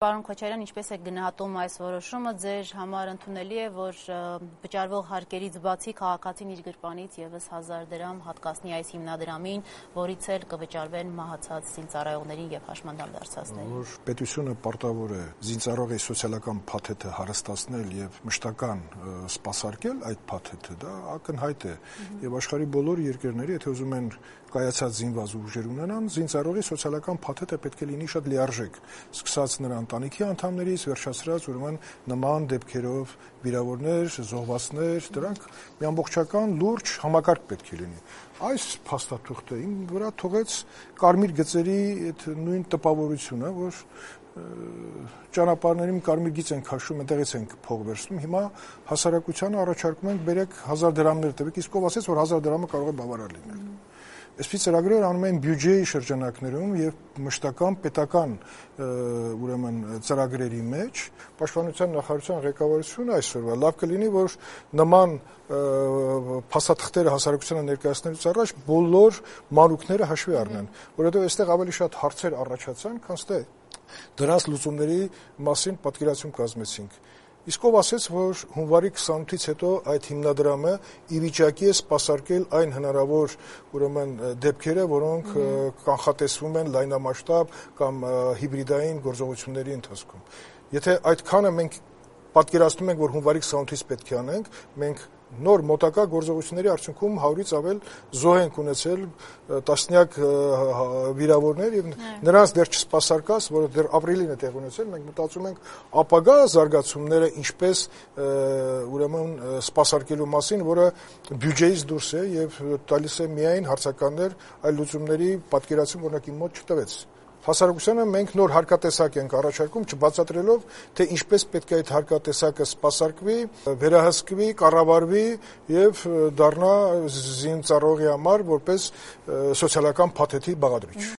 Պարոն Քոչարյան, ինչպես եք գնահատում այս որոշումը, ձեր համար ընդունելի է, որ վճարվող հարկերից բացի քաղաքացին իր գրպանից ևս 1000 դրամ հատկացնի այս հիմնադրամին, որից էլ կվճարվեն մահացած զինծառայողներին եւ հաշմանդամ դարձածներին։ Որ պետությունը պարտավոր է զինծառայողի սոցիալական փաթեթը հարստացնել եւ մշտական սպասարկել այդ փաթեթը, դա ակնհայտ է եւ աշխարհի բոլոր երկրները, եթե ուզում են կայացած զինված ուժեր ունենան, զինծառայողի սոցիալական փաթեթը պետք է լինի շատ լիարժեք, սկսած նրան ընտանիքի անդամներից վերջացրած ուրեմն նման դեպքերով վիրավորներ, զոհվածներ, դրանք մի ամբողջական լուրջ համակարգ պետք է լինի։ Այս փաստաթուղթը իմ վրա թողեց կարմիր գծերի այդ նույն տպավորությունը, որ ճանապարհներում կարմիր գիծ են քաշում, այնտեղից ենք փող վերցնում, հիմա հասարակությանը առաջարկում ենք բերեք 1000 դրամներ տվեք, իսկ ով ասեց, որ 1000 դրամը կարող է բավարար լինել։ Այսպես ծրագրեր անում են բյուջեի շրջանակներում եւ մշտական պետական ուրեմն ծրագրերի մեջ պաշտպանության նախարարության ղեկավարությունը այսօրվա լավ կլինի, որ նման փաստաթղթերը հասարակությանը ներկայացնելուց առաջ բոլոր մանուկները հաշվի առնեն, որովհետեւ այստեղ ավելի շատ հարցեր առաջացան, քան թե դրանց լուծումների մասին պատկերացում կազմեցինք։ Իսկ ով ասեց, որ հունվարի 28-ից հետո այդ հիմնադրամը ի վիճակի է սպասարկել այն հնարավոր ուրեմն դեպքերը, որոնք կանխատեսվում են լայնամասշտաբ կամ հիբրիդային գործողությունների ընթացքում։ Եթե այդքանը մենք պատկերացնում ենք, որ հունվարի 28-ից պետք է անենք, մենք նոր մոտակա գործողությունների արդյունքում 100-ից ավել զոհ ենք ունեցել, տասնյակ վիրավորներ եւ նրանց դեռ չսպասարկած, որը դեռ ապրիլին է տեղ ունեցել, մենք մտածում ենք ապագա զարգացումները ինչպես ուրեմն սպասարկելու մասին, որը բյուջեից դուրս է եւ տալիս է միայն հարցականներ այլ լուծումների պատկերացում, օրինակ իմ մոտ չտվեց։ Հասարակությանը մենք նոր հարկատեսակ ենք առաջարկում, չբացատրելով, թե ինչպես պետք է այդ հարկատեսակը սպասարկվի, վերահսկվի, կառավարվի եւ դառնա զինծառայողի համար որպես սոցիալական փաթեթի բաղադրիչ։